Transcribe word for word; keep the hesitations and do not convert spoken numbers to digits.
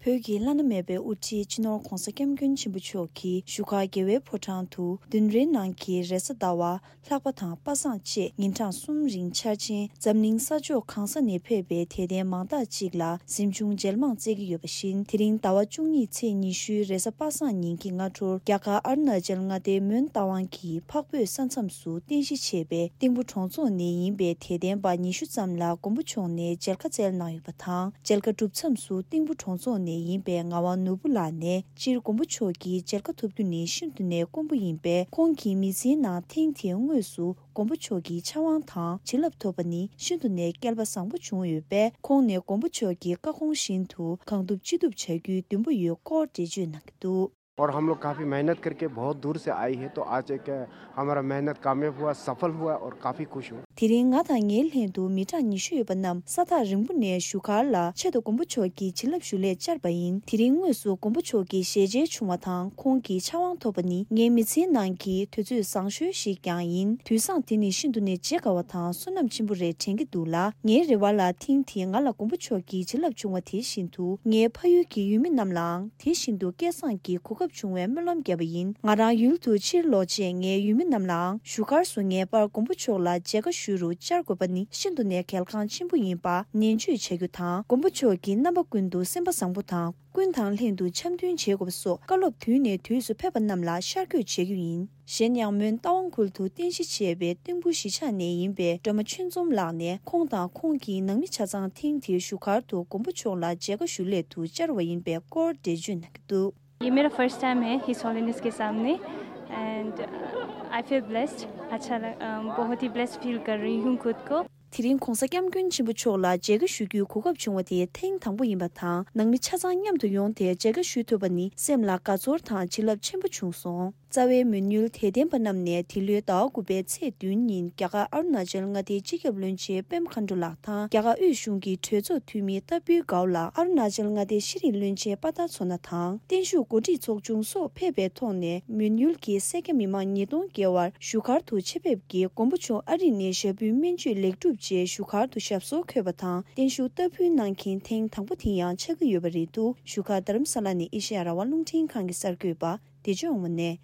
བོད་ཀྱི་བླ་ན་མེད་པའི་དབུ་ཁྲིད་སྤྱི་ནོར་༧གོང་ས་༧སྐྱབས་མགོན་ཆེན་པོ་མཆོག་གིས་བཞུགས་སྒར་རྒྱལ་བའི་ཕོ་བྲང་དུ་བདུན་རེའི་ནང་གི་རེས་གཟའ་ཟླ་བ། ལྷག་པ་དང་པ་སངས་བཅས་ཉིན་གྲངས་གསུམ་རིང་འཆར་ཅན་འཛམ་གླིང་ས་ཕྱོགས་གང་ས་ནས་ཕེབས་པའི་དད་ལྡན་མང་དག་ཅིག་ལ་གཟིམ་ཆུང་མཇལ་མང་སྩལ་གྱི་ཡོད་པ་བཞིན། དེ་རིང་ཟླ་བ་བཅུ་གཉིས་ཚེས་ཉི་ཤུའི་རེས་གཟའ་པ་སངས་ཉིན་གྱི་སྔ་དྲོར་རྒྱ་གར་ཨ་རུ་ན་ཅལ་མངའ་སྡེའི་མོན་རྟ་དབང་གི་འཕགས་བོད་ས་མཚམས་སུ་རྟེན་གཞི་བྱས་པའི་ཏིང་ཕུ་གྲོང་ཚོ་ནས་ཡིན་པའི་དད་ལྡན་པ་ཉི་ཤུ་ཙམ་ལ་མགོན་པོ་མཆོག་ནས་མཇལ་ཁ་བསྩལ་གནང་ཡོད་པ་དང་། མཇལ་ཁ་གྲུབ་མཚམས་སུ་ཏིང་ཕུ་གྲོང་ཚོ་ནས་ཡིན་པའི་ངག་དབང་ནོར་བུ་ལགས་ནས། སྤྱིར་མགོན་པོ་མཆོག་གི་མཇལ་ཁ་ཐོབ་རྒྱུ་ནི་ཤིན་ཏུ་ནས་དཀོན་པོ་ཡིན་པས། ཁོང་གི་མི་ཚེའི་ནང་ཐེངས་དེའི་དངོས་སུ་མགོན་པོ་མཆོག་གི་ཕྱག་དབང་དང་བྱིན་རླབས་ཐོབ་པ་ནི་ཤིན་ཏུ་ནས་སྐལ་པ་བཟང་པོ་བྱུང་ཡོད་པས། ཁོང་ནས་མགོན་པོ་མཆོག་གི་བཀའ་དགོངས་བཞིན་དུ་གང་ཐུབ་ཅི་ཐུབ་བྱ་རྒྱུའི་འདུན་པ་ཡོད་སྐོར་འགྲེལ་བརྗོད་གནང་གི་འདུག། और हम लोग काफ़ी मेहनत करके बहुत दूर से आए हैं, तो आज एक हमारा मेहनत कामयाब हुआ, सफल हुआ और काफ़ी खुश हूँ। དེ་རིང་ང་དང་ངའི་ལྷན་དུ་མི་གྲངས་ཉི་ཤུ་ཡོད་པ་རྣམས་ས་ཐག་རིང་པོ་ནས་བཞུགས་སྒར་ལ་ཆེད་དུ་མགོན་པོ་མཆོག་གི་བྱིན་རླབས་ཞུ་སླད་བཅར་བ་ཡིན། དེ་རིང་དངོས་སུ་མགོན་པོ་མཆོག་གི་ཞལ་མཇལ་བྱུང་བ་དང་ཁོང་གི་ཕྱག་དབང་ཐོབ་པ་ནི་ངའི་མི་ཚེའི་ནང་གི་དུས་ཚོད་བཟང་ཤོས་ཤིག་ཀྱང་ཡིན། དུས་བཟང་དེ་ནི་ཤིན་ཏུ་ནས་བརྗེད་དཀའ་བ་དང་བསོད་ནམས་ཆེན་པོ་རེད་དྲན་གྱི་འདུག་ལ། ངའི་རེ་བ་ལ་ཐེངས་འདིའི་ང་ལ་མགོན་པོ་མཆོག་གི་བྱིན་རླབས་བྱུང་བ་དེ་བཞིན་དུ་ངའི་ཕ་ཡུལ་གྱི་ཡུལ་མི་རྣམས་ལའང་དེ་བཞིན་དུ་སྐལ་བཟང་གི་གོ་སྐབས་བྱུང་བའི་སྨོན་ལམ་བརྒྱབ་པ་ཡིན། ང་རང་ཡུལ་དུ་ཕྱིར་ལོག་རྗེས་ངའི་ཡུལ་མི་རྣམས་ལའང་བཞུགས་སྒར་སུ་ངེས་པར་མགོན་པོ་མཆོག་ལ་མཇལ་ཁ་ཞུ་རུ་བཅར་དགོས་པ་ནི་ཤིན་ཏུ་ནས་གལ་འགངས་ཆེན་པོ་ཡིན་པ་ནན་བརྗོད་བྱ་རྒྱུ་དང་། མགོན་པོ་མཆོག་གིས་རྣམ་པ་ཀུན་ཏུ་སེམས་པ་བཟང་པོ་དང་། ཀུན་དང་ལྷན་དུ་འཆམ་མཐུན་བྱེད་དགོས་པ་སོགས་བཀའ་སློབ་དུས་ནས་དུས་སུ་ཕེབས་པ་རྣམས་ལ་ཤར་བསྐྱོད་བྱེད་རྒྱུ་ཡིན། གཞན་ཡང་མོན་རྟ་དབང་ཁུལ་དུ་རྟེན་གཞི་བྱས་པའི་ཏིང་ཕུ་གཞིས་ཆགས་ནས་ཡིན་པའི་སྒྲོལ་མ་ཆོས་འཛོམས་ལགས་ནས་ཁོང་དང་ཁོང་གི་ནང་མི་ཆ་ཚང་ཐེངས་འདིའི་བཞུགས་སྒར་དུ་མགོན་པོ་མཆོག་ལ་མཇལ་ཁ་ཞུ་སླད་དུ་བཅར་བ་ཡིན་པའི་སྐོར་འགྲེལ་བརྗོད་གནང་གི་འདུག། ये मेरा फर्स्ट टाइम है हिज हॉलीनेस के सामने एंड आई फील ब्लेस्ड। अच्छा लग, अम, बहुत ही ब्लेस्ड फील कर रही हूँ खुद को। དེ་རིང་༧གོང་ས་༧སྐྱབས་མགོན་ཆེན་པོ་མཆོག་ལ་མཇལ་ཁ་ཞུ་རྒྱུའི་གོ་སྐབས་བྱུང་བ་དེ་ཐེངས་དང་པོ་ཡིན་པ་དང་། ནང་མི་ཆ་ཚང་མཉམ་དུ་ཡོང་སྟེ་མཇལ་ཁ་ཞུ་ཐུབ་པ་ནི་སེམས་ལ་དགའ་ཚོར་དང་བྱིན་རླབས་ཆེན་པོ་བྱུང་སོང་། རྩ་བའི་མོན་ཡུལ་དད་ལྡན་པ་རྣམས་ནས་འདི་ལོའི་ཟླ་བ་དགུ་པའི་ཚེས་བདུན་ཉིན་རྒྱ་གར་ཨ་རུ་ན་ཅལ་མངའ་སྡེའི་སྤྱི་ཁྱབ་བློན་ཆེན་པད་མ་མཁའ་འགྲོ་ལགས་དང་། རྒྱ་གར་དབུས་གཞུང་གི་གྲོས་ཚོགས་འཐུས་མི་ཏཱ་པུའུ་གའོ་ལགས། ཨ་རུ་ན་ཅལ་མངའ་སྡེའི་ཤེས་རིག་བློན་ཆེན་པ་ཏཱ་མཚོ་སྣ་དང་། བརྟན་བཞུགས་འགོ་ཁྲིད་ཚོགས་ཆུང་སོགས་ཕེབས་པའི་ཐོག་ནས་མོན་ཡུལ་གྱི་སེར་སྐྱ་མི་མང་ཉིས་སྟོང་བརྒལ་བར་བཞུགས་སྒར་དུ་ཆེད་ཕེབས་ཀྱིས་མགོན་པོ་མཆོག་ཨ་རི་ནས་ཞབས་བརྟན་སྨན་བཅོས་ལེགས་གྲུབ་རྗེས་བཞུགས་སྒར་དུ་ཞབས་སོར་འཁོད་པ་དང་། བརྟན་བཞུགས་ཏཱ་ཕུལ་གནང་མཁན་ཐེངས་དང་པོ་དེ་ཡང་ཆགས་ཀྱི་ཡོད་པ་རེད་འདུག། བཞུགས་སྒར་རྡ་རམ་ས་ལ་ནས་ཨེ་ཤེ་ཡ་རང་དབང་རླུང་འཕྲིན་ཁང་གི་གསར་འགོད་པ་བདེ་ལྕོག་དབང་མོ་ནས།